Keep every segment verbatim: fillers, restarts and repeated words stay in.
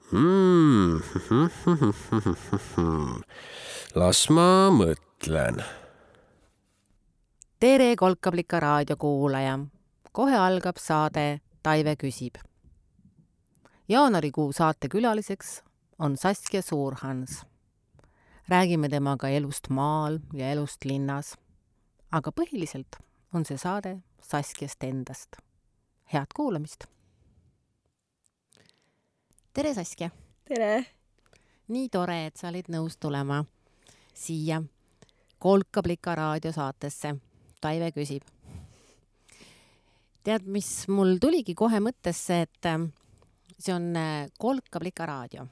Hmm. Las ma mõtlen. Tere Kolkablika raadiokuulaja. Kohe algab saade Taive küsib. Jaanuarikuu saate külaliseks on Saskia Suurhans. Räägime temaga elust maal ja elust linnas. Aga põhiliselt on see saade Saskiast endast. Head kuulamist! Tere Saskia! Tere! Nii tore, et sa olid nõus tulema siia Kolkablika raadiosaatesse. Taive küsib. Tead, mis mul tuligi kohe mõttesse, et see on Kolkablika raadio.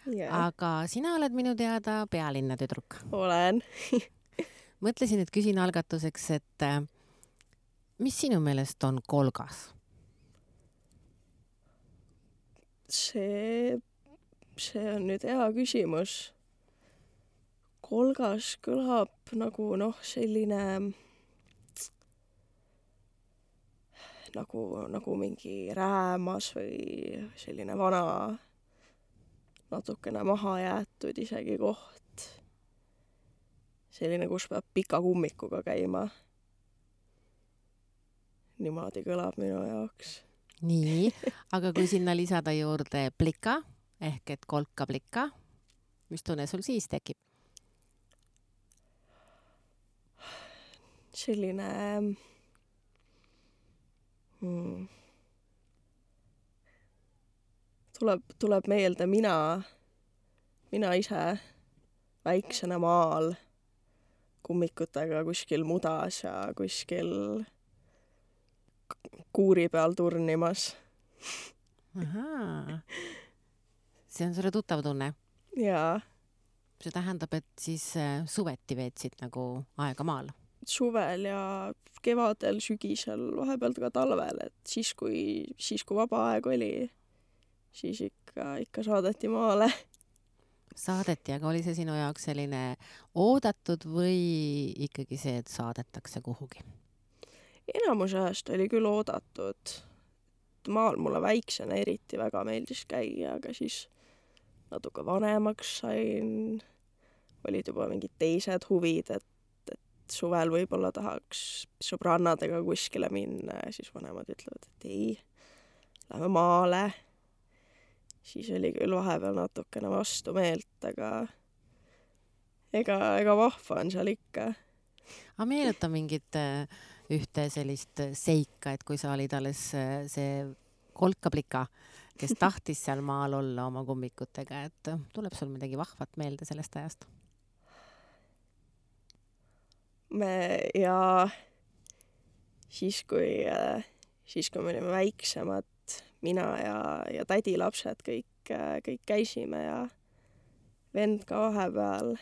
Yeah. Aga sina oled minu teada pealinna tüdruk. Olen. Mõtlesin, et küsin algatuseks, et mis sinu meelest on kolgas? See, see on nüüd hea küsimus. Kolgas kõlab nagu noh, selline nagu, nagu mingi räämas või selline vana, natukene maha jäetud isegi koht. Selline, kus peab pika kummikuga käima. Niimoodi kõlab minu jaoks. Nii, aga kui sinna lisada juurde plika, ehk et kolkablika, mis tunne sul siis tekib? Selline hmm, tuleb, tuleb meelde mina, mina ise väiksena maal kummikutega kuskil mudas ja kuskil kuuri peal turnimas. Ahaa. See on sulle tuttav tunne? Jaa. See tähendab, et siis suveti veetsid nagu aega maal? Suvel ja kevadel, sügisel, vahepealt ka talvel, et siis kui, siis kui vaba aeg oli, siis ikka, ikka saadeti maale. Saadeti, aga oli see sinu jaoks selline oodatud või ikkagi see, et saadetakse kuhugi? Enamus ajast oli küll oodatud. Maal mulle väiksena eriti väga meeldis käia, aga siis natuke vanemaks sain. Olid juba mingid teised huvid, et, et suvel võib-olla tahaks sõbrannadega kuskile minna ja siis vanemad ütlevad, et ei, lähme maale. Siis oli küll vahepeal natukene vastu meelt, aga ega, ega vahva on seal ikka. Aga meenuta mingit ühte sellist seika, et kui sa olid alles see kolkablika, kes tahtis seal maal olla oma kummikutega, et tuleb sul midagi vahvat meelde sellest ajast? Me ja siis kui, siis kui me olime väiksemad, mina ja, ja tädi lapsed kõik, kõik käisime ja vend ka vahepeal.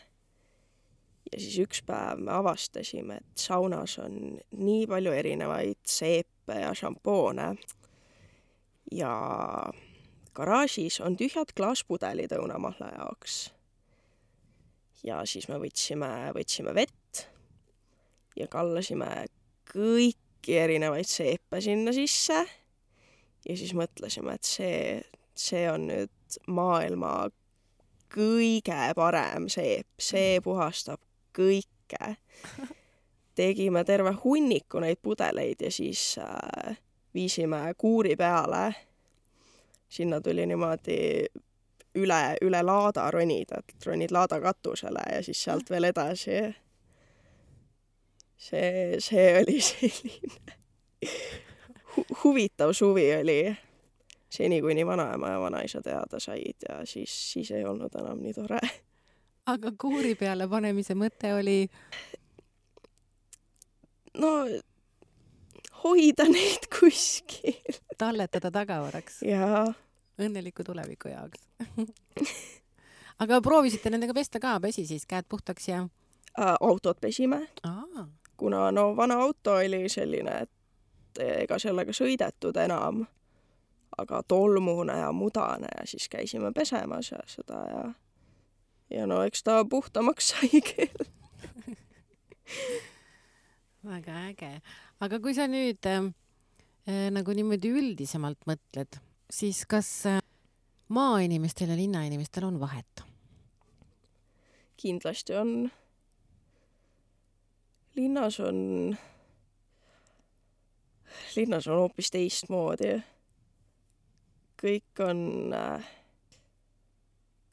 Ja siis üks päev me avastasime, et saunas on nii palju erinevaid seepe ja šampoone. Ja garaažis on tühjad klaaspudelid õunamahla jaoks. Ja siis me võtsime, võtsime vett ja kallasime kõiki erinevaid seepe sinna sisse. Ja siis mõtlesime, et see, see on nüüd maailma kõige parem seep. See puhastab kõike. Tegime terve hunniku neid pudeleid ja siis äh, viisime kuuri peale. Sinna tuli niimoodi üle, üle laada ronida, et ronid laada katusele ja siis sealt veel edasi. See, see oli selline hu- huvitav suvi oli seni, kui nii vanaema ja vanaisa teada said ja siis, siis ei olnud enam nii tore. Aga kuuri peale panemise mõte oli? No, hoida neid kuskil. Talletada tagavaraks? Jaa. Õnneliku tuleviku jaoks. Aga proovisite nendega pesta ka, pesi siis käed puhtaks ja? Autot pesime. Aa. Kuna no vana auto oli selline, et ega sellega sõidetud enam, aga tolmune ja mudane ja siis käisime pesemas ja seda ja ja no eks ta puhtamaks sai küll. Väga äge. Aga kui sa nüüd äh, nagu niimoodi üldisemalt mõtled, siis kas äh, maainimestel ja linnainimestel on vahet? Kindlasti on. Linnas on, linnas on hoopis teistmoodi. Kõik on,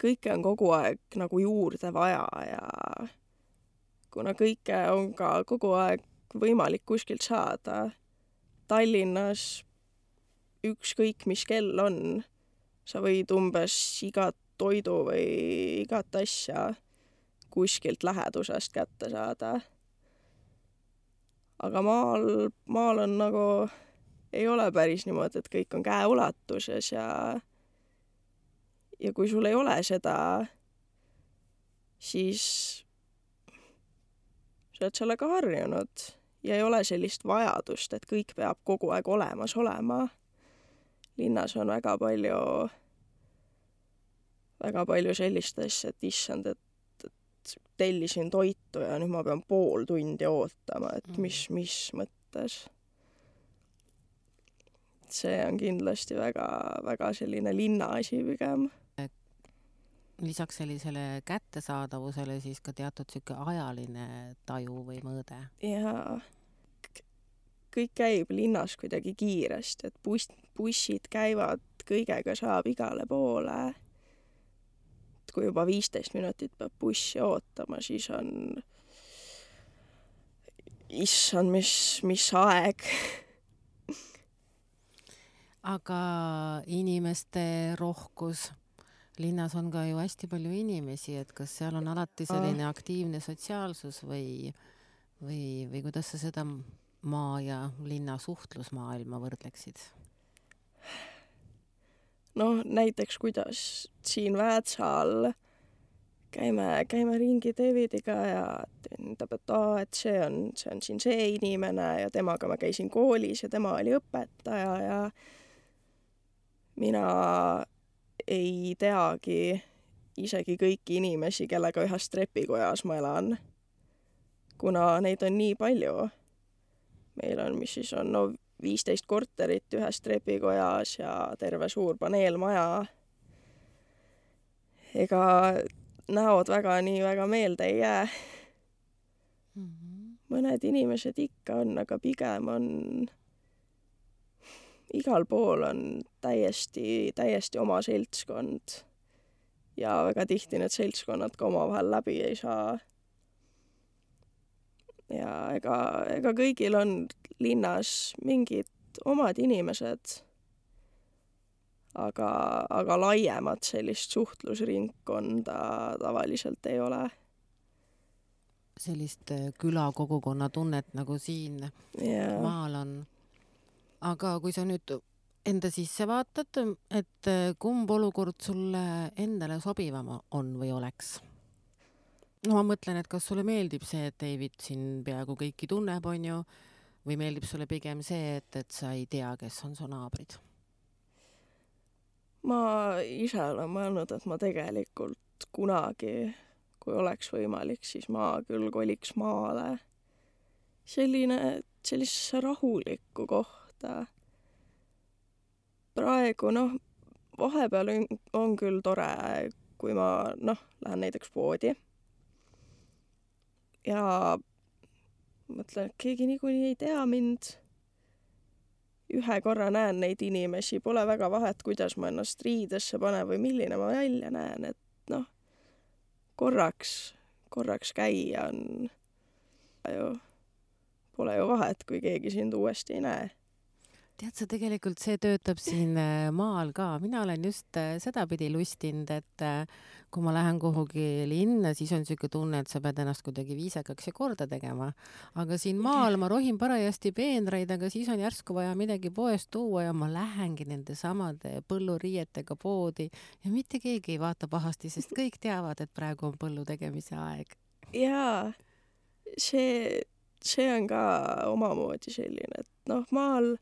kõike on kogu aeg nagu juurde vaja ja kuna kõike on ka kogu aeg võimalik kuskilt saada, Tallinnas ükskõik mis kell on, sa võid umbes igat toidu või igat asja kuskilt lähedusest kätte saada. Aga maal, maal on nagu, ei ole päris niimoodi, et kõik on käeulatuses ja, ja kui sul ei ole seda, siis sa oled sellega harjunud ja ei ole sellist vajadust, et kõik peab kogu aeg olemas olema. Linnas on väga palju, väga palju sellist asja, et issand, et, et tellisin toitu ja nüüd ma pean pool tundi ootama, et mis, mis mõttes. See on kindlasti väga, väga selline linna asi pigem. Lisaks sellisele kättesaadavusele siis ka teatud siuke ajaline taju või mõõde. Ja kõik käib linnas kuidagi kiiresti, et buss, bussid käivad, kõigega saab igale poole. Et kui juba viisteist minutit peab bussi ootama, siis on issand, mis, mis aeg. Aga inimeste rohkus, linnas on ka ju hästi palju inimesi, et kas seal on alati selline aktiivne sotsiaalsus või, või, või kuidas sa seda maa ja linna suhtlusmaailma võrdleksid? No näiteks kuidas siin Väätsal käime, käime ringi Davidiga ja tähendab, et, aa, et see on, see on siin see inimene ja temaga ma käisin koolis ja tema oli õpetaja ja mina ei teagi isegi kõiki inimesi, kellega ühes trepikojas ma elan, kuna neid on nii palju. Meil on, mis siis on, no viisteist korterit ühes trepikojas ja terve suur paneelmaja. Ega näod väga nii väga meelde ei jää. Mm-hmm. Mõned inimesed ikka on, aga pigem on igal pool on täiesti, täiesti oma seltskond ja väga tihti need seltskonnad ka omavahel läbi ei saa. Ja ega, ega kõigil on linnas mingid omad inimesed, aga, aga laiemat sellist suhtlusringkonda tavaliselt ei ole. Sellist külakogukonna tunnet nagu siin yeah. Maal on. Aga kui sa nüüd enda sisse vaatad, et kumb olukord sulle endale sobivam on või oleks? No ma mõtlen, et kas sulle meeldib see, et David siin peaaegu kõiki tunneb, on ju, või meeldib sulle pigem see, et, et sa ei tea, kes on su naabrid? Ma ise olen mõelnud, et ma tegelikult kunagi, kui oleks võimalik, siis ma küll koliks maale. Selline, sellisesse rahulikku kohta. Praegu, noh, vahepeal on, on küll tore, kui ma, noh, lähen näiteks poodi. Ja mõtlen, et keegi niikuinii ei tea mind. Ühe korra näen neid inimesi, pole väga vahet, kuidas ma ennast riidesse panen või milline ma välja näen, et noh, korraks, korraks käia on ju, pole ju vahet, kui keegi sind uuesti ei näe. Tead sa, tegelikult see töötab siin maal ka. Mina olen just sedapidi lustinud, et kui ma lähen kuhugi linna, siis on siuke tunne, et sa pead ennast kuidagi viisakaks ja korda tegema. Aga siin maal ma rohin parajasti peenraid, aga siis on järsku vaja midagi poest tuua ja ma lähengi nende samade põlluriietega poodi ja mitte keegi ei vaata pahasti, sest kõik teavad, et praegu on põllu tegemise aeg. Jaa, see, see on ka omamoodi selline, et noh, maal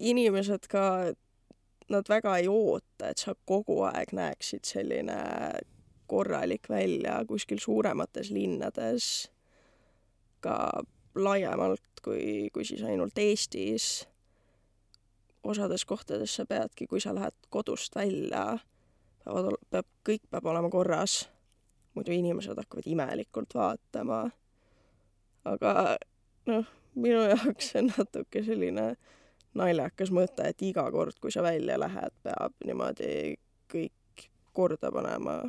inimesed ka, nad väga ei oota, et sa kogu aeg näeksid selline korralik välja kuskil suuremates linnades, ka laiemalt kui, kui siis ainult Eestis. osades kohtades sa peadki, kui sa lähed kodust välja, peavad, peab, kõik peab olema korras. Muidu inimesed hakkavad imelikult vaatama. Aga noh, minu jaoks on natuke selline naljakas mõte, et iga kord, kui sa välja lähed, peab niimoodi kõik korda panema.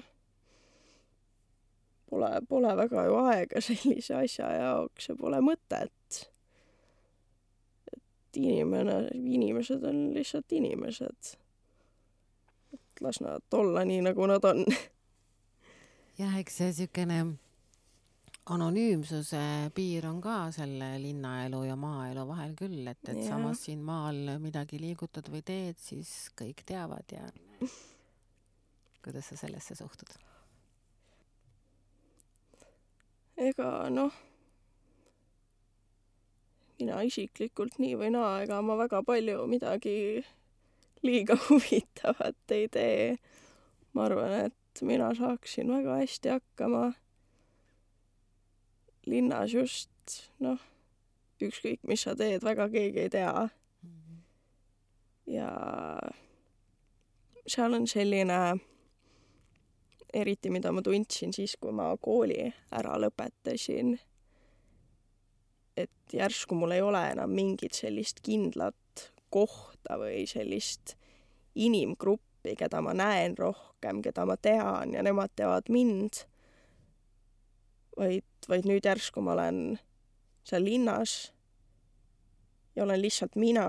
Pole, pole väga ju aega sellise asja jaoks ja pole mõtet. Et inimene, inimesed on lihtsalt inimesed. Et las nad olla nii, nagu nad on. Jah, eks see sükene anonüümsuse piir on ka selle linnaelu ja maaelu vahel küll, et, et Ja. samas siin maal midagi liigutad või teed, siis kõik teavad ja kuidas sa sellesse suhtud? Ega noh, mina isiklikult nii või naa, ega ma väga palju midagi liiga huvitavat ei tee. Ma arvan, et mina saaksin väga hästi hakkama. Linnas just, noh, ükskõik, mis sa teed, väga keegi ei tea. Ja seal on selline, eriti mida ma tundsin siis, kui ma kooli ära lõpetasin, et järsku mul ei ole enam mingit sellist kindlat kohta või sellist inimgruppi, keda ma näen rohkem, keda ma tean ja nemad teavad mind. Vaid, vaid nüüd järsku ma olen seal linnas ja olen lihtsalt mina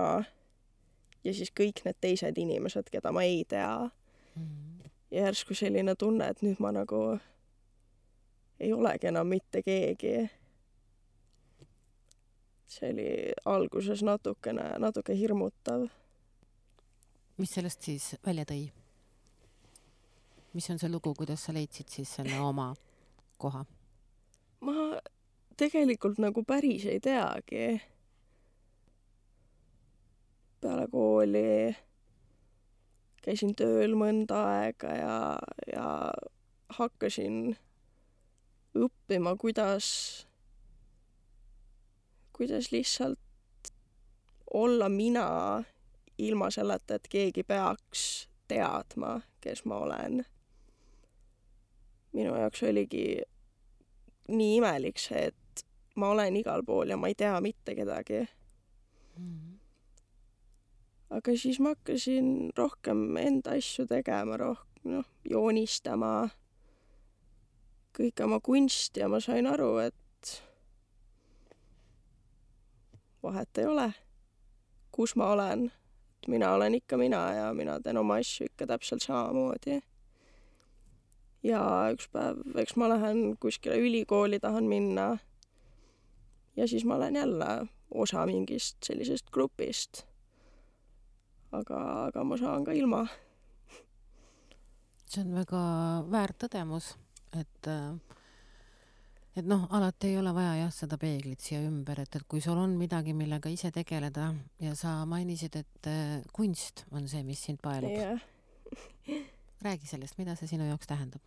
ja siis kõik need teised inimesed, keda ma ei tea. Mm-hmm. Ja järsku selline tunne, et nüüd ma nagu ei olegi enam mitte keegi. See oli alguses natukene, natuke hirmutav. Mis sellest siis välja tõi? Mis on see lugu, kuidas sa leidsid siis selle oma koha? Ma tegelikult nagu päris ei teagi. Peale kooli käisin tööl mõnda aega ja, ja hakkasin õppima, kuidas, kuidas lihtsalt olla mina ilma selleta, et keegi peaks teadma, kes ma olen. Minu jaoks oligi nii imelik see, et ma olen igal pool ja ma ei tea mitte kedagi. Mm-hmm. Aga siis ma hakkasin rohkem enda asju tegema, rohkem noh, joonistama, kõik oma kunsti ja ma sain aru, et vahet ei ole, kus ma olen. Mina olen ikka mina ja mina teen oma asju ikka täpselt samamoodi. Ja üks päev, eks ma lähen kuskile ülikooli, tahan minna ja siis ma olen jälle osa mingist sellisest grupist. Aga, aga ma saan ka ilma. See on väga väärt tõdemus, et, et noh, alati ei ole vaja jah, seda peeglit siia ümber, et, et kui sul on midagi, millega ise tegeleda ja sa mainisid, et kunst on see, mis sind paelub. Yeah. Räägi sellest, mida see sinu jaoks tähendab?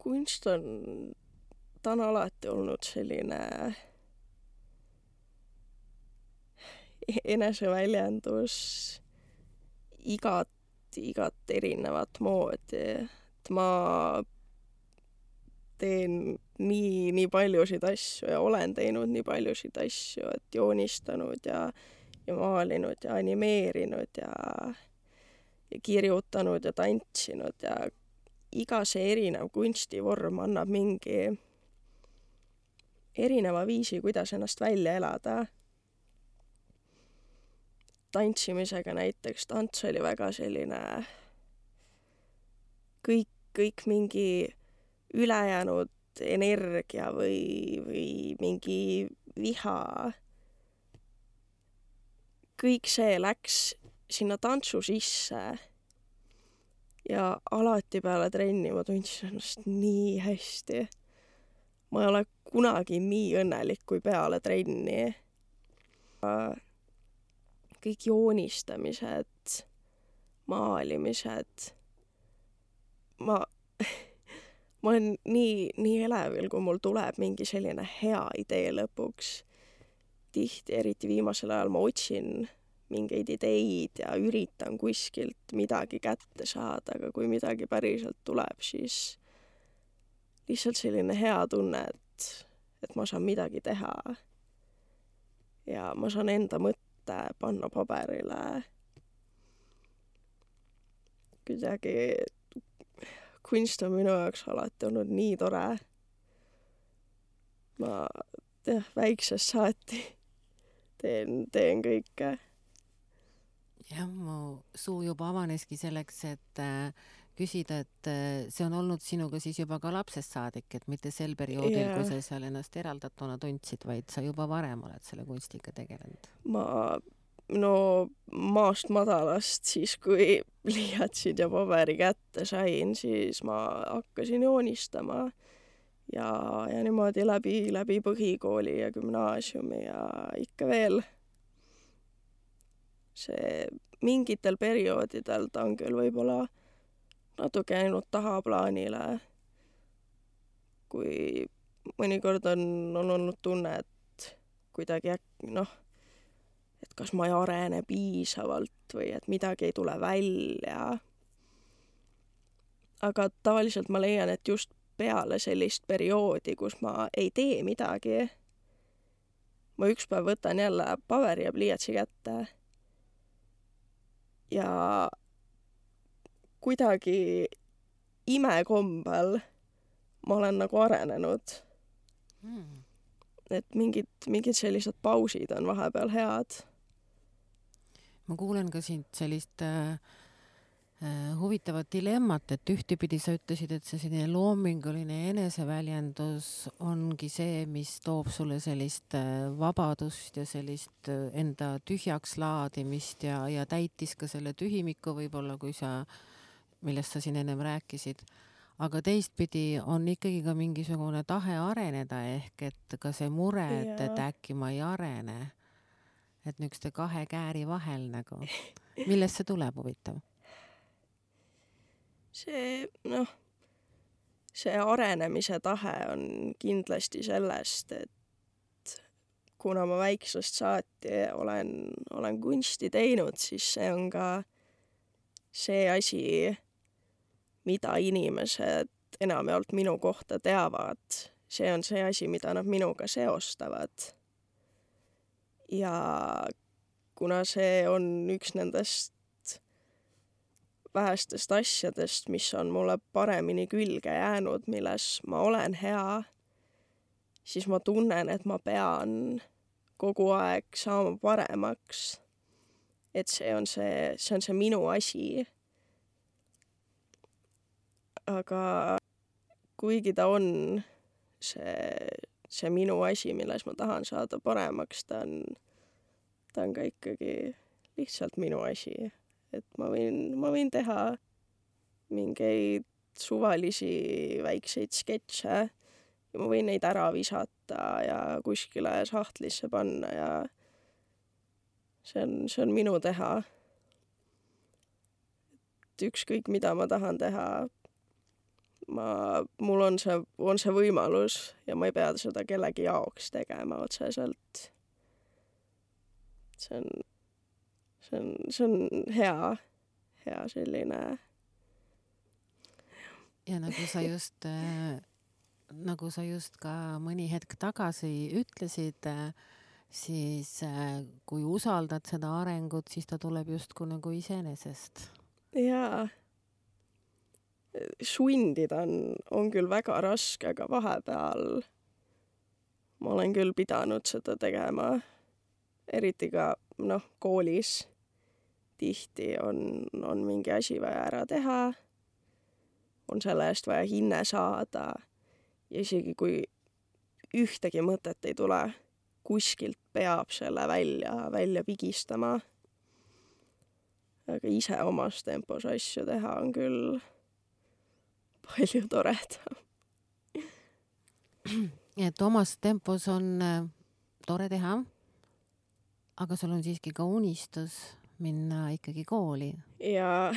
Kunst on, ta on alati olnud selline eneseväljendus igat, igat erinevat moodi. Et ma teen nii, nii paljusid asju ja olen teinud nii paljusid asju, et joonistanud ja, ja maalinud ja animeerinud ja, ja kirjutanud ja tantsinud ja iga see erinev kunstivorm annab mingi erineva viisi, kuidas ennast välja elada. Tantsimisega näiteks tants oli väga selline kõik, kõik mingi ülejäänud energia või, või mingi viha. Kõik see läks sinna tantsu sisse. Ja alati peale trenni ma tundsin ennast nii hästi. Ma ei ole kunagi nii õnnelik kui peale trenni. Kõik joonistamised, maalimised. Ma, ma olen nii, nii elevil, kui mul tuleb mingi selline hea idee lõpuks. Tihti, eriti viimasel ajal ma otsin mingeid ideid ja üritan kuskilt midagi kätte saada, aga kui midagi päriselt tuleb, siis lihtsalt selline hea tunne, et, et ma saan midagi teha. Ja ma saan enda mõtte panna paberile. Kuidagi kunst on minu jaoks alati olnud nii tore. Ma jah, väiksest saati teen, teen kõike. jah, mu suu juba avaneski selleks, et äh, küsida, et äh, see on olnud sinuga siis juba ka lapsest saadik, et mitte sel perioodil, Jaa. kui sa seal ennast eraldatuna tundsid, vaid sa juba varem oled selle kunstiga tegelenud. Ma no maast madalast siis, kui pliiatsid ja paberi kätte sain, siis ma hakkasin joonistama ja, ja niimoodi läbi, läbi põhikooli ja gümnaasiumi ja ikka veel. See mingitel perioodidel ta on küll võib-olla natuke ainult tahaplaanile, kui mõnikord on, on olnud tunne, et kuidagi äk- noh, et kas ma ei arene piisavalt või et midagi ei tule välja. Aga tavaliselt ma leian, et just peale sellist perioodi, kus ma ei tee midagi, ma üks päev võtan jälle paberi ja pliiatsi kätte ja kuidagi imekombel ma olen nagu arenenud. Mm. Et mingid, mingid sellised pausid on vahepeal head. Ma kuulen ka sind sellist äh, äh, huvitavat dilemmat, et ühtepidi sa ütlesid, et see selline loominguline eneseväljendus ongi see, mis toob sulle sellist äh, vabadust ja sellist äh, enda tühjaks laadimist ja, ja täitis ka selle tühimiku võib-olla, kui sa, millest sa siin ennem rääkisid. Aga teistpidi on ikkagi ka mingisugune tahe areneda ehk et ka see mure, et, et Jaa. äkki ma ei arene. Et nükste kahe kääri vahel nagu. Millest see tuleb huvitav? See, noh, see arenemise tahe on kindlasti sellest, et kuna ma väiksest saati olen, olen kunsti teinud, siis see on ka see asi, mida inimesed enamjaolt minu kohta teavad. See on see asi, mida nad minuga seostavad. Ja kuna see on üks nendest vähestest asjadest, mis on mulle paremini külge jäänud, milles ma olen hea, siis ma tunnen, et ma pean kogu aeg saama paremaks. Et see on see, see on see minu asi. Aga kuigi ta on see, see minu asi, milles ma tahan saada paremaks, ta on, ta on ka ikkagi lihtsalt minu asi. Et ma võin, ma võin teha mingeid suvalisi väikseid sketše ja ma võin neid ära visata ja kuskile sahtlisse panna ja see on, see on minu teha. Et ükskõik, mida ma tahan teha, ma, mul on see, on see võimalus ja ma ei pea seda kellegi jaoks tegema otseselt. See on, see on, see on hea, hea selline. Ja nagu sa just, äh, nagu sa just ka mõni hetk tagasi ütlesid, äh, siis äh, kui usaldad seda arengut, siis ta tuleb justku nagu iseenesest. Jaa. Sundida on, on küll väga raske, aga vahepeal ma olen küll pidanud seda tegema. Eriti ka, noh, koolis tihti on, on mingi asi vaja ära teha. On selle eest vaja hinne saada. Ja isegi kui ühtegi mõtet ei tule, kuskilt peab selle välja, välja pigistama. Aga ise omas tempos asju teha on küll palju toredam. Et omas tempos on äh, tore teha, aga sul on siiski ka unistus minna ikkagi kooli. Ja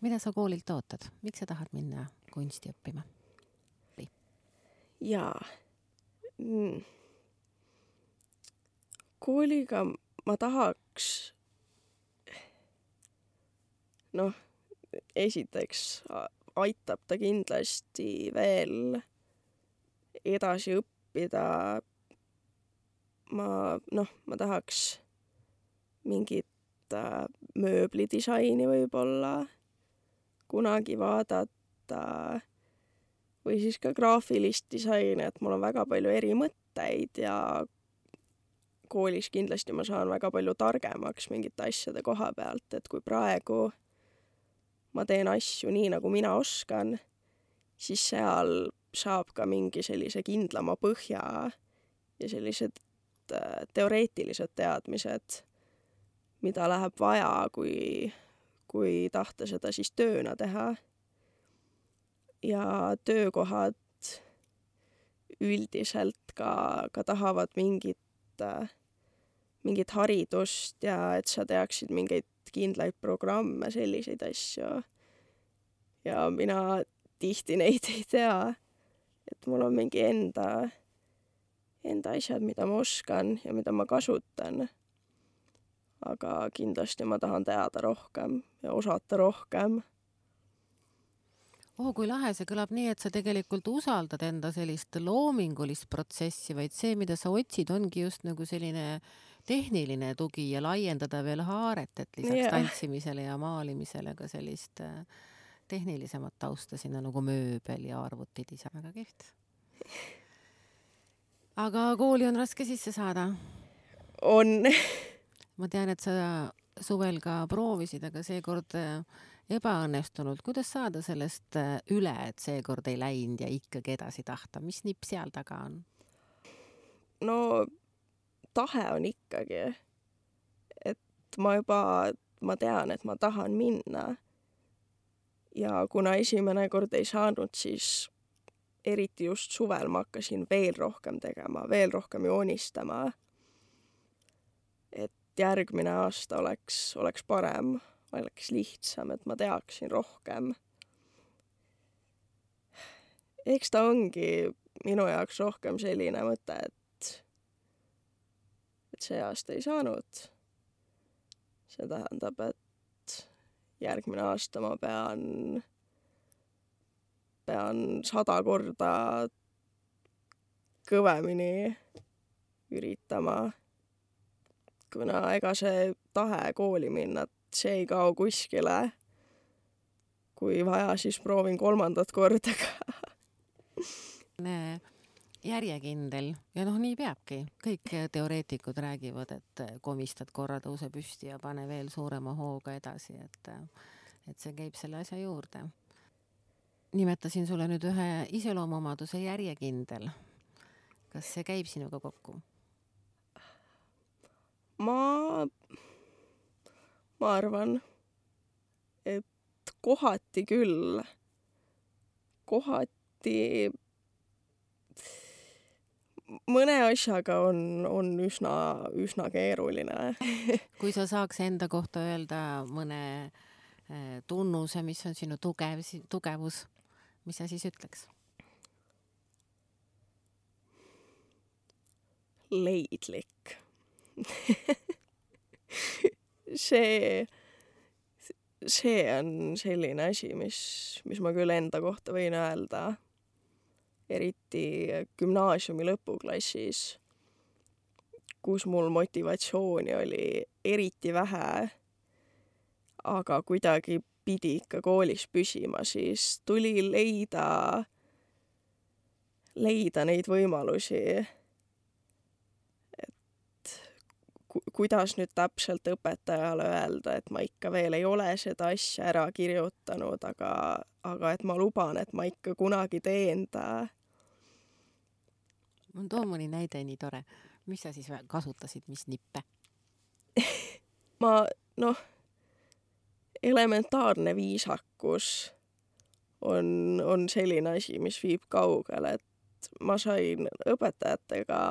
Mida sa koolilt ootad? Miks sa tahad minna kunsti õppima? jaa. Mm. Kooliga ma tahaks, noh, esiteks aitab ta kindlasti veel edasi õppida. Ma, noh, ma tahaks mingit äh, mööblidisaini võib-olla kunagi vaadata või siis ka graafilist disaini, et mul on väga palju eri mõtteid ja koolis kindlasti ma saan väga palju targemaks mingite asjade koha pealt, et kui praegu ma teen asju nii, nagu mina oskan, siis seal saab ka mingi sellise kindlama põhja ja sellised teoreetilised teadmised, mida läheb vaja, kui, kui tahta seda siis tööna teha. Ja töökohad üldiselt ka, ka tahavad mingit, mingit haridust ja et sa teaksid mingeid kindlaid programme, selliseid asju. Ja mina tihti neid ei tea, et mul on mingi enda, enda asjad, mida ma oskan ja mida ma kasutan. Aga kindlasti ma tahan teada rohkem ja osata rohkem. Oh, kui lahe, see kõlab nii, et sa tegelikult usaldad enda sellist loomingulist protsessi, vaid see, mida sa otsid, ongi just nagu selline tehniline tugi ja laiendada veel haaret, et lisaks yeah. tantsimisele ja maalimisele ka sellist tehnilisemat tausta sinna nagu mööbel ja arvutid ise. Väga kihvt. Aga kooli on raske sisse saada? On. Ma tean, et sa suvel ka proovisid, aga seekord ebaõnnestunult. Kuidas saada sellest üle, et seekord ei läinud ja ikkagi edasi tahta? Mis nipp seal taga on? No tahe on ikkagi. Et ma juba, ma tean, et ma tahan minna. Ja kuna esimene kord ei saanud, siis eriti just suvel ma hakkasin veel rohkem tegema, veel rohkem joonistama. Et järgmine aasta oleks, oleks parem, oleks lihtsam, et ma teaksin rohkem. Eks ta ongi minu jaoks rohkem selline mõte, et, et see aasta ei saanud. See tähendab, et järgmine aasta ma pean, pean sada korda kõvemini üritama. Kuna ega see tahe kooli minna, see ei kao kuskile. Kui vaja, siis proovin kolmandat korda ka. Järjekindel ja noh, nii peabki. Kõik teoreetikud räägivad, et komistad korra tõuse püsti ja pane veel suurema hooga edasi, et, et see käib selle asja juurde. Nimetasin sulle nüüd ühe iseloomuomaduse järjekindel. Kas see käib sinuga kokku? Ma, ma arvan, et kohati küll, kohati mõne asjaga on, on üsna, üsna keeruline. Kui sa saaks enda kohta öelda mõne tunnuse, mis on sinu tugev, tugevus, mis sa siis ütleks? Leidlik. see, see on selline asi, mis, mis ma küll enda kohta võin öelda. Eriti gümnaasiumi lõpuklassis, kus mul motivatsiooni oli eriti vähe, aga kuidagi pidi ikka koolis püsima, siis tuli leida, leida neid võimalusi, et ku, kuidas nüüd täpselt õpetajale öelda, et ma ikka veel ei ole seda asja ära kirjutanud, aga, aga et ma luban, et ma ikka kunagi teen ta. On too mõni näide nii tore. Mis sa siis kasutasid, mis nippe? ma, noh, elementaarne viisakus on, on selline asi, mis viib kaugele, et ma sain õpetajatega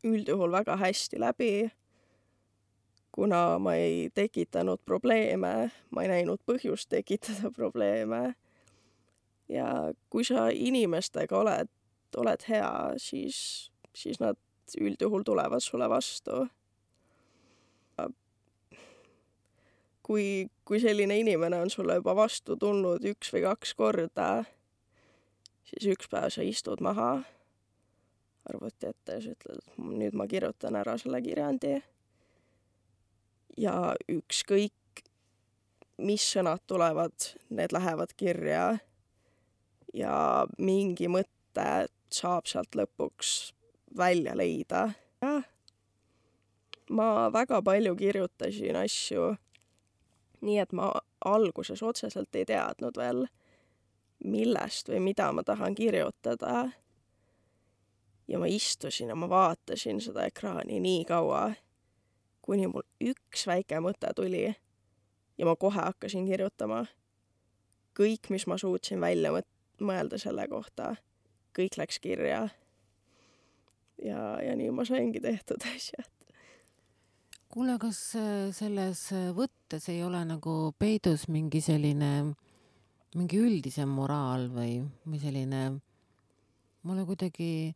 üldjuhul väga hästi läbi, kuna ma ei tekitanud probleeme, ma ei näinud põhjust tekitada probleeme. Ja kui sa inimestega oled, oled hea, siis, siis nad üldjuhul tulevad sulle vastu. kui, kui selline inimene on sulle juba vastu tulnud üks või kaks korda, siis üks päev sa istud maha arvuti ette ja sa ütled, et nüüd ma kirjutan ära selle kirjandi. Ja ükskõik, mis sõnad tulevad, need lähevad kirja ja mingi mõte saab sealt lõpuks välja leida. Ja ma väga palju kirjutasin asju, nii et ma alguses otseselt ei teadnud veel, millest või mida ma tahan kirjutada. Ja ma istusin ja ma vaatasin seda ekraani nii kaua, kuni mul üks väike mõte tuli ja ma kohe hakkasin kirjutama. Kõik, mis ma suutsin välja mõelda selle kohta, kõik läks kirja. Ja, ja nii ma saingi tehtud asjad. Kuule, kas selles võttes ei ole nagu peidus mingi selline, mingi üldisem moraal või, või selline, mulle kuidagi,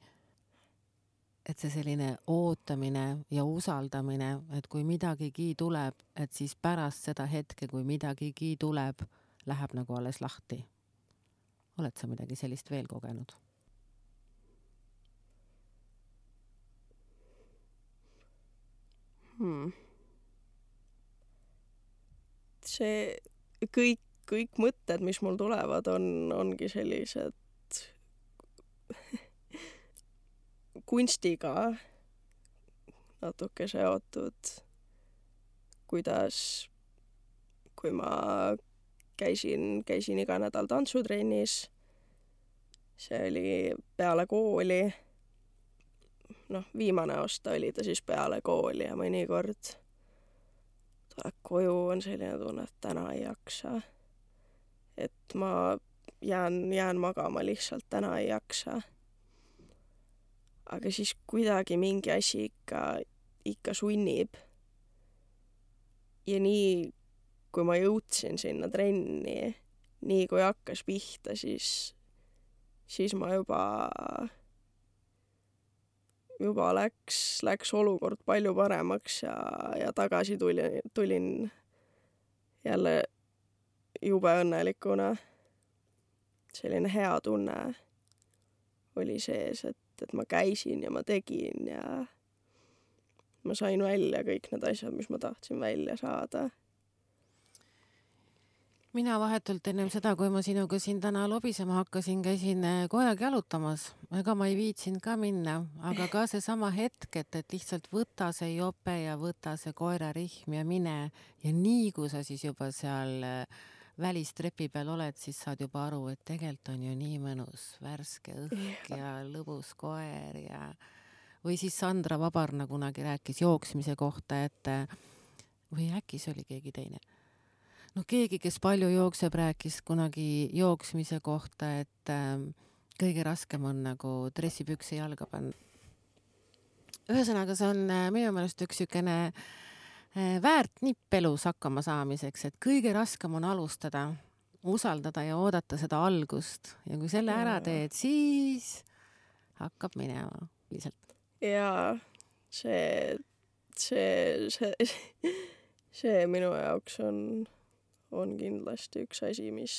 et see selline ootamine ja usaldamine, et kui midagigi tuleb, et siis pärast seda hetke, kui midagigi tuleb, läheb nagu alles lahti. Oled sa midagi sellist veel kogenud? Hmm. See kõik, kõik mõtted, mis mul tulevad, on, ongi sellised kunstiga natuke seotud, kuidas, kui ma käisin, käisin iga nädal tantsutrennis, see oli peale kooli, noh, viimane aasta oli ta siis peale kooli ja mõnikord tuleb koju, on selline tunne, et täna ei jaksa. Et ma jään, jään magama lihtsalt, täna ei jaksa. Aga siis kuidagi mingi asi ikka, ikka sunnib. Ja nii, kui ma jõudsin sinna trenni, nii kui hakkas pihta, siis, siis ma juba juba läks, läks olukord palju paremaks ja, ja tagasi tulin, tulin jälle jube õnnelikuna. Selline hea tunne oli sees, et, et ma käisin ja ma tegin ja ma sain välja kõik need asjad, mis ma tahtsin välja saada. Mina vahetult ennem seda, kui ma sinuga siin täna lobisema hakkasin, käisin koeraga jalutamas. Ega ma ei viitsinud ka minna, aga ka see sama hetk, et, et lihtsalt võta see jope ja võta see koerarihm ja mine. Ja nii kui sa siis juba seal välistrepi peal oled, siis saad juba aru, et tegelikult on ju nii mõnus värske õhk ja lõbus koer ja või siis Sandra Vabarna kunagi rääkis jooksmise kohta, et või äkki see oli keegi teine. No keegi, kes palju jookseb, rääkis kunagi jooksmise kohta, et äh, kõige raskem on nagu dressipükse jalga panna. Ühesõnaga, see on äh, minu meelest üks sükene äh, väärt nipp elus hakkama saamiseks, et kõige raskem on alustada, usaldada ja oodata seda algust. Ja kui selle ära teed, siis hakkab minema lihtsalt. Jaa, see, see, see, see minu jaoks on... on kindlasti üks asi, mis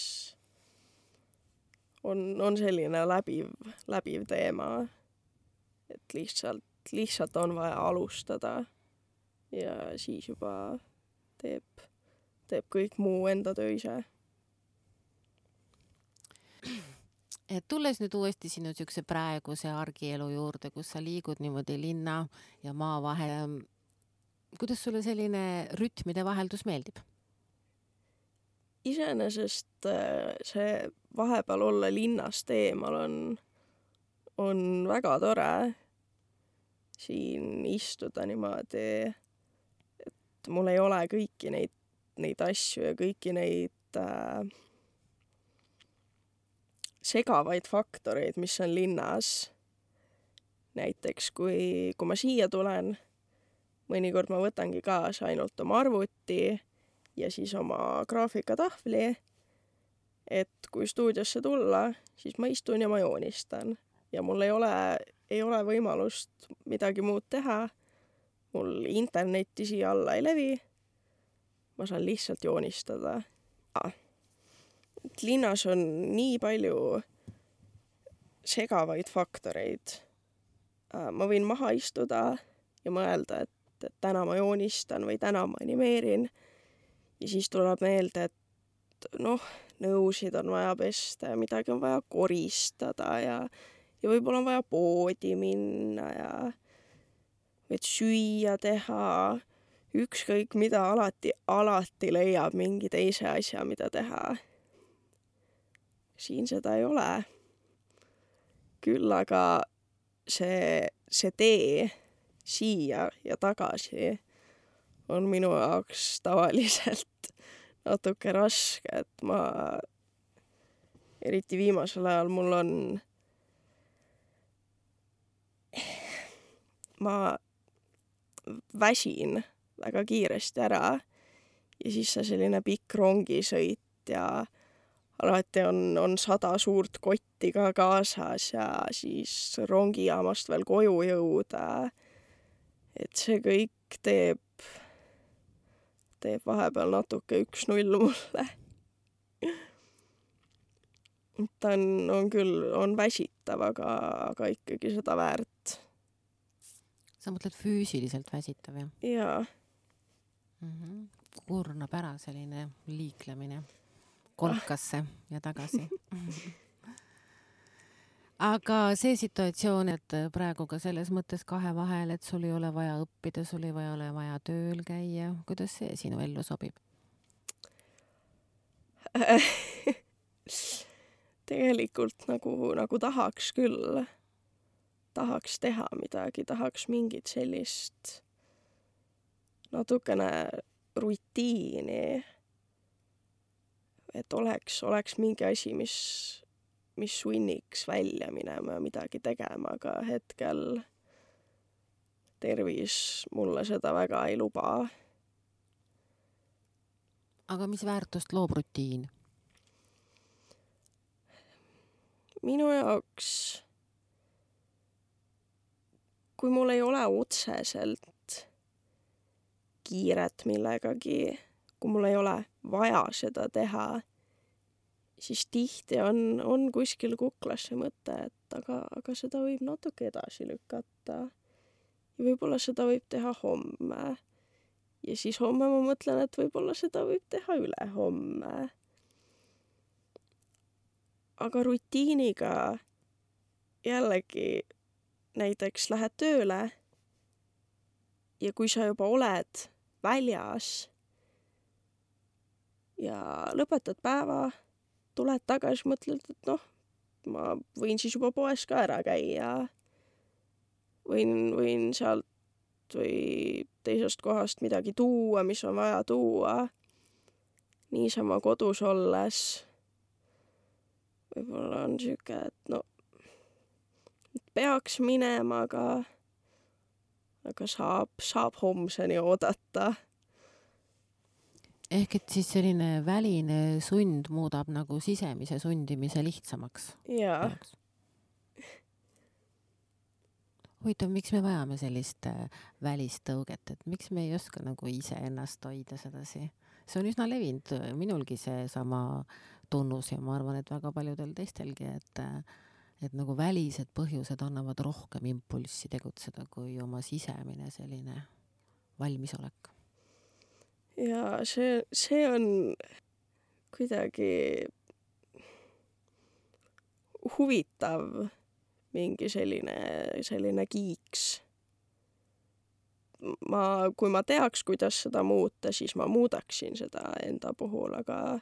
on, on selline läbiv, läbiv teema, et lihtsalt, lihtsalt on vaja alustada ja siis juba teeb, teeb kõik muu enda töö ise. Et tulles nüüd uuesti sinu sükse praeguse argielu juurde, kus sa liigud niimoodi linna ja maa vahel, kuidas sulle selline rütmide vaheldus meeldib? Iseenesest see vahepeal olla linnast eemal on, on väga tore siin istuda niimoodi, et mul ei ole kõiki neid, neid asju ja kõiki neid äh, segavaid faktoreid, mis on linnas. Näiteks, kui, kui ma siia tulen, mõnikord ma võtangi kaasa ainult oma arvuti ja siis oma graafikatahvli, et kui stuudiosse tulla, siis ma istun ja ma joonistan. Ja mul ei ole, ei ole võimalust midagi muud teha. Mul internetti siia alla ei levi. ma saan lihtsalt joonistada. Ah. Et linnas on nii palju segavaid faktoreid. Ma võin maha istuda ja mõelda, et, et täna ma joonistan või täna ma animeerin. Ja siis tuleb meelde, et noh, nõusid on vaja pesta ja midagi on vaja koristada ja, ja võib-olla on vaja poodi minna ja et süüa teha. Ükskõik mida alati, alati leiab mingi teise asja, mida teha. Siin seda ei ole. Küll aga see, see tee siia ja tagasi on minu jaoks tavaliselt natuke raske, et ma eriti viimasel ajal mul on ma väsin väga kiiresti ära ja siis see selline pikk rongisõit ja alati on, on sada suurt kotti ka kaasas ja siis rongijaamast veel koju jõuda. Et see kõik teeb, teeb vahepeal natuke üks null mulle. Ta on, on küll, on väsitav, aga, aga ikkagi seda väärt. Sa mõtled füüsiliselt väsitav, jah? Jaa. Mm-hmm. Kurnab ära selline liiklemine kolkasse ja tagasi. Aga see situatsioon, et praegu ka selles mõttes kahe vahel, et sul ei ole vaja õppida, sul ei ole vaja tööl käia. Kuidas see sinu ellu sobib? Tegelikult nagu, nagu tahaks küll. Tahaks teha midagi, tahaks mingit sellist natukene rutiini. Et oleks, oleks mingi asi, mis, mis sunniks välja minema ja midagi tegema, aga hetkel tervis mulle seda väga ei luba. Aga mis väärtust loob rutiin? Minu jaoks, kui mul ei ole otseselt kiiret millegagi, kui mul ei ole vaja seda teha, siis tihti on, on kuskil kuklas see mõte, et aga, aga seda võib natuke edasi lükata. Ja võib-olla seda võib teha homme. Ja siis homme ma mõtlen, et võib-olla seda võib teha üle homme. Aga rutiiniga jällegi näiteks lähed tööle ja kui sa juba oled väljas ja lõpetad päeva, tuled tagasi, mõtled, et noh, ma võin siis juba poes ka ära käia. Võin, võin sealt või teisest kohast midagi tuua, mis on vaja tuua. Niisama kodus olles. Võib-olla on siuke, et no, peaks minema, aga, aga saab, saab homseni oodata. Ehk et siis selline väline sund muudab nagu sisemise sundimise lihtsamaks. Jaa. Huvitav, miks me vajame sellist välist tõuget, et miks me ei oska nagu ise ennast hoida sedasi? See on üsna levinud minulgi see sama tunnus ja ma arvan, et väga paljudel teistelgi, et, et nagu välised põhjused annavad rohkem impulssi tegutseda kui oma sisemine selline valmisolek. Ja see, see on kuidagi huvitav mingi selline, selline kiiks. Ma, kui ma teaks, kuidas seda muuta, siis ma muudaksin seda enda puhul, aga,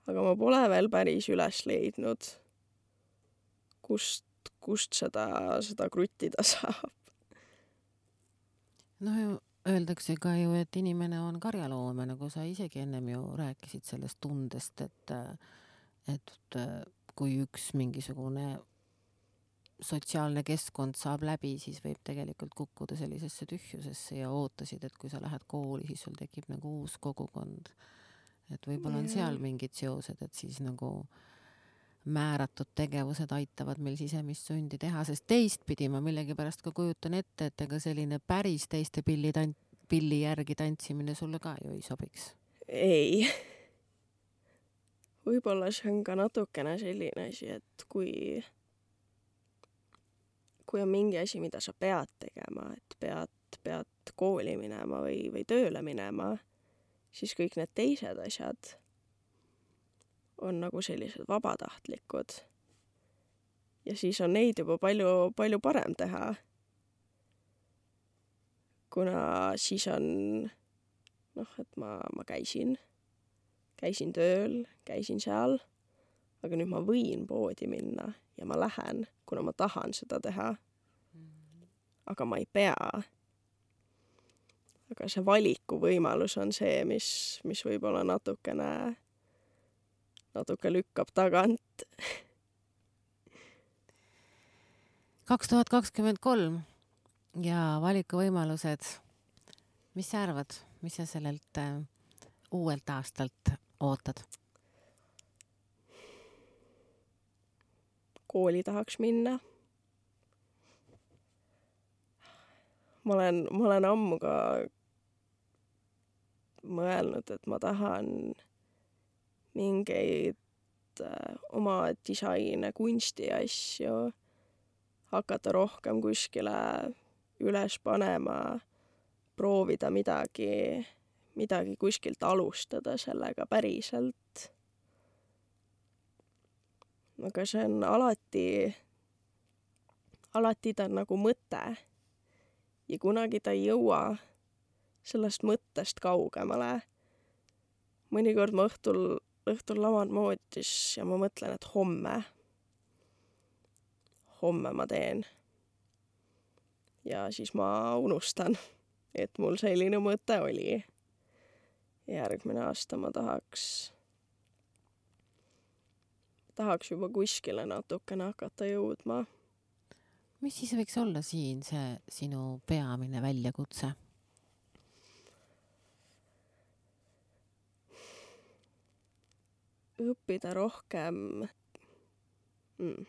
aga ma pole veel päris üles leidnud, kust, kust seda, seda kruttida saab. No öeldakse ka ju, et inimene on karjaloome, nagu sa isegi ennem ju rääkisid sellest tundest, et, et kui üks mingisugune sotsiaalne keskkond saab läbi, siis võib tegelikult kukkuda sellisesse tühjusesse ja ootasid, et kui sa lähed kooli, siis sul tekib nagu uus kogukond. Et võib-olla on seal mingid seosed, et siis nagu määratud tegevused aitavad meil sisemist sundi teha, sest teistpidi ma millegipärast ka kujutan ette, et ega selline päris teiste pilli, tant- pilli järgi tantsimine sulle ka ju ei sobiks. ei. Võib-olla see on ka natukene selline asi, et kui, kui on mingi asi, mida sa pead tegema, et pead, pead kooli minema või, või tööle minema, siis kõik need teised asjad on nagu sellised vabatahtlikud. Ja siis on neid juba palju, palju parem teha. Kuna siis on, noh, et ma, ma käisin, käisin tööl, käisin seal, aga nüüd ma võin poodi minna ja ma lähen, kuna ma tahan seda teha. Aga ma ei pea. Aga see valiku võimalus on see, mis, mis võib-olla natukene, natuke lükkab tagant. kaks tuhat kakskümmend kolm ja valikuvõimalused. Mis sa arvad, mis sa sellelt äh, uuelt aastalt ootad? Kooli tahaks minna. Ma olen, ma olen ammu ka mõelnud, et ma tahan mingeid äh, oma disaine, kunsti asju hakata rohkem kuskile üles panema, proovida midagi, midagi kuskilt alustada sellega päriselt. Aga see on alati, alati ta on nagu mõte ja kunagi ta ei jõua sellest mõttest kaugemale. Mõnikord ma õhtul, õhtul laman moodis ja ma mõtlen, et homme homme ma teen. Ja siis ma unustan, et mul selline mõte oli. Järgmine aasta ma tahaks, tahaks juba kuskile natukene hakata jõudma. Mis siis võiks olla siin see sinu peamine väljakutse? Õppida rohkem... Mm.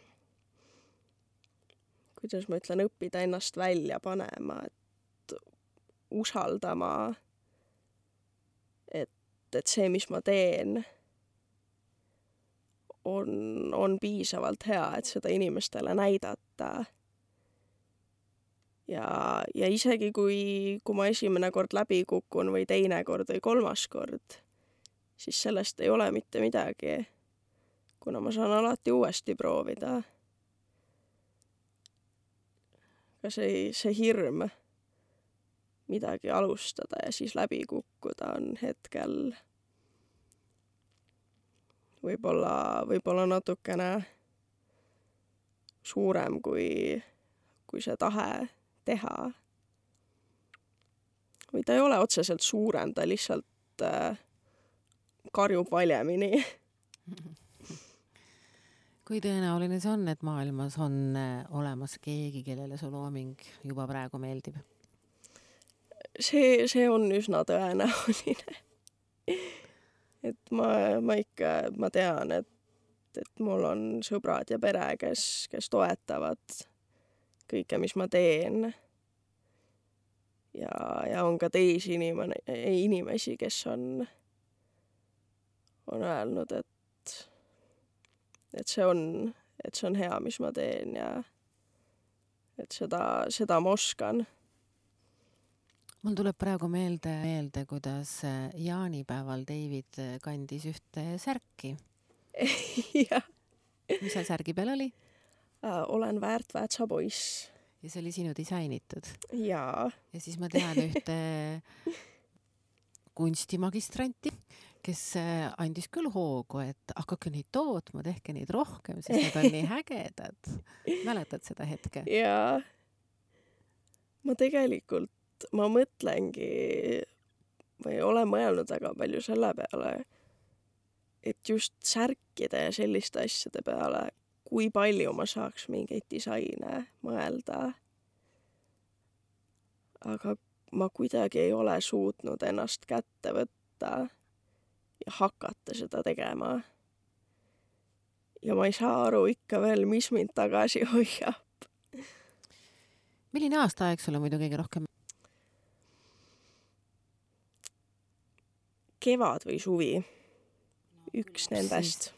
Kuidas ma ütlen, õppida ennast välja panema, et usaldama, et, et see, mis ma teen, on, on piisavalt hea, et seda inimestele näidata. Ja, ja isegi kui, kui ma esimene kord läbi kukun või teine kord või kolmas kord, siis sellest ei ole mitte midagi, kuna ma saan alati uuesti proovida. See, see hirm midagi alustada ja siis läbi kukkuda on hetkel võib-olla, võib-olla natukene suurem kui, kui see tahe teha. Või ta ei ole otseselt suurem, ta lihtsalt äh, karjub valjemini. Kui tõenäoline see on, et maailmas on olemas keegi, kellele su looming juba praegu meeldib? See, see on üsna tõenäoline. Et ma, ma ikka, ma tean, et, et mul on sõbrad ja pere, kes, kes toetavad kõike, mis ma teen. Ja, ja on ka teisi inimene, inimesi, kes on, on öelnud, et et see on, et see on hea, mis ma teen ja et seda, seda ma oskan. Mul tuleb praegu meelde, meelde, kuidas jaanipäeval David kandis ühte särki. Jah. Mis seal särgi peal oli? Olen Väärt Väätsa poiss. Ja see oli sinu disainitud? Jaa. Ja siis ma tean ühte kunstimagistranti, kes andis küll hoogu, et hakake neid tootma, tehke neid rohkem, sest need on nii hägedad. Mäletad seda hetke? Jaa. Ma tegelikult, ma mõtlengi või olen mõelnud väga palju selle peale, et just särkide ja selliste asjade peale, kui palju ma saaks mingeid disaine mõelda. Aga ma kuidagi ei ole suutnud ennast kätte võtta ja hakata seda tegema. Ja ma ei saa aru ikka veel, mis mind tagasi hoiab. Milline aastaaeg sulle muidu kõige rohkem? kevad või suvi. Üks no, nendest.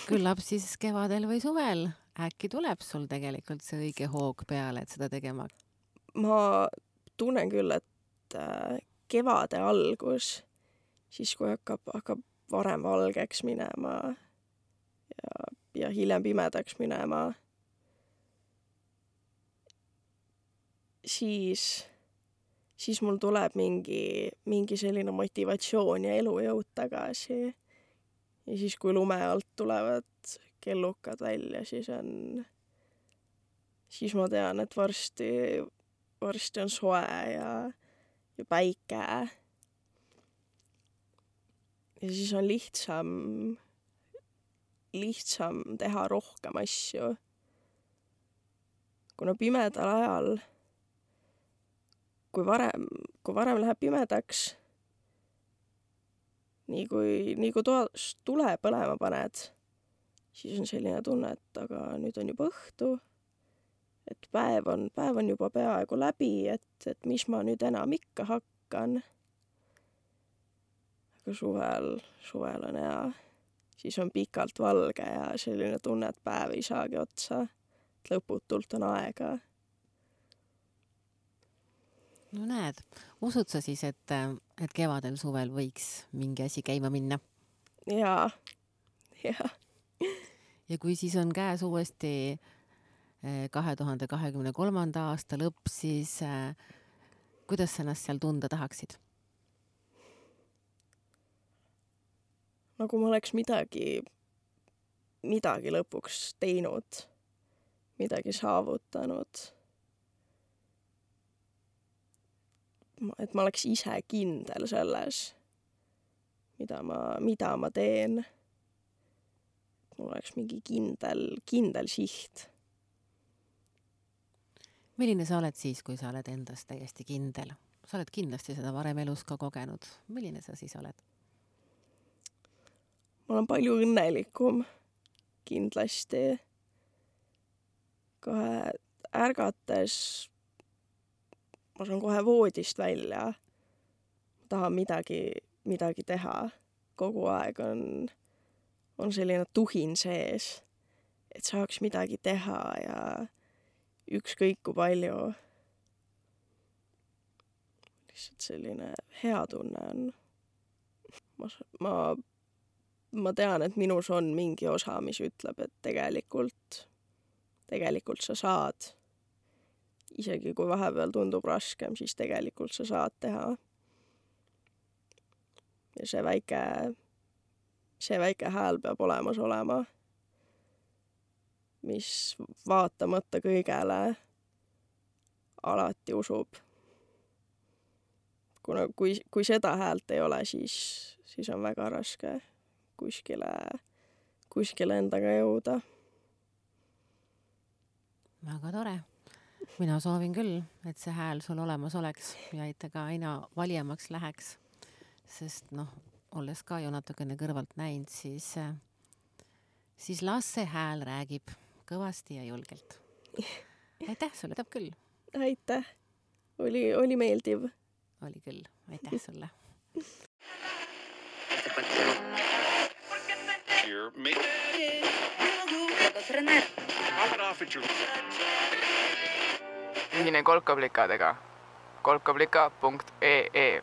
Küllap siis kevadel või suvel. Äkki tuleb sul tegelikult see õige hoog peale, et seda tegema? Ma tunnen küll, et kevade algus, siis kui hakkab, hakkab varem valgeks minema ja, ja hiljem pimedaks minema, siis, siis mul tuleb mingi, mingi selline motivatsioon ja elujõud tagasi. Ja siis, kui lume alt tulevad kellukad välja, siis on, siis ma tean, et varsti, varsti on soe ja, ja päike. Ja siis on lihtsam, lihtsam teha rohkem asju. Kuna pimedal ajal, kui varem, kui varem läheb pimedaks, nii kui, nii kui toas tule põlema paned, siis on selline tunne, et aga nüüd on juba õhtu, et päev on, päev on juba peaaegu läbi, et, et mis ma nüüd enam ikka hakkan. Aga suvel, suvel on hea, siis on pikalt valge ja selline tunne, et päev ei saagi otsa, et lõputult on aega. No näed, usud sa siis, et, et kevadel suvel võiks mingi asi käima minna? Jaa, jaa. Ja kui siis on käes uuesti kahe tuhande kahekümne kolmanda aasta lõpp, siis äh, kuidas sa ennast seal tunda tahaksid? Nagu ma oleks midagi, midagi lõpuks teinud, midagi saavutanud. Et ma oleks ise kindel selles, mida ma, mida ma teen. Mul oleks mingi kindel, kindel siht. Milline sa oled siis, kui sa oled endast täiesti kindel? Sa oled kindlasti seda varem elus ka kogenud. Milline sa siis oled? Ma olen palju õnnelikum kindlasti. Kohe ärgates ma saan kohe voodist välja. Ma tahan midagi, midagi teha. Kogu aeg on, on selline tuhin sees, et saaks midagi teha ja ükskõik kui palju. Lihtsalt selline hea tunne on. Ma, ma, ma tean, et minus on mingi osa, mis ütleb, et tegelikult, tegelikult sa saad. Isegi kui vahepeal tundub raskem, siis tegelikult sa saad teha. Ja see väike, see väike hääl peab olemas olema, mis vaatamata kõigele alati usub. Kuna kui, kui seda häält ei ole, siis, siis on väga raske kuskile, kuskile endaga jõuda. Väga tore. Mina soovin küll, et see hääl sul olemas oleks ja et ka aina valijamaks läheks. Sest noh, olles ka ju natukene kõrvalt näinud, siis, siis las see hääl räägib kõvasti ja julgelt. Aitäh sulle, täp küll. Aitäh. Oli, oli meeldiv. Oli küll. Aitäh sulle. Ühine kolkaplikadega kolkaplika punkt ee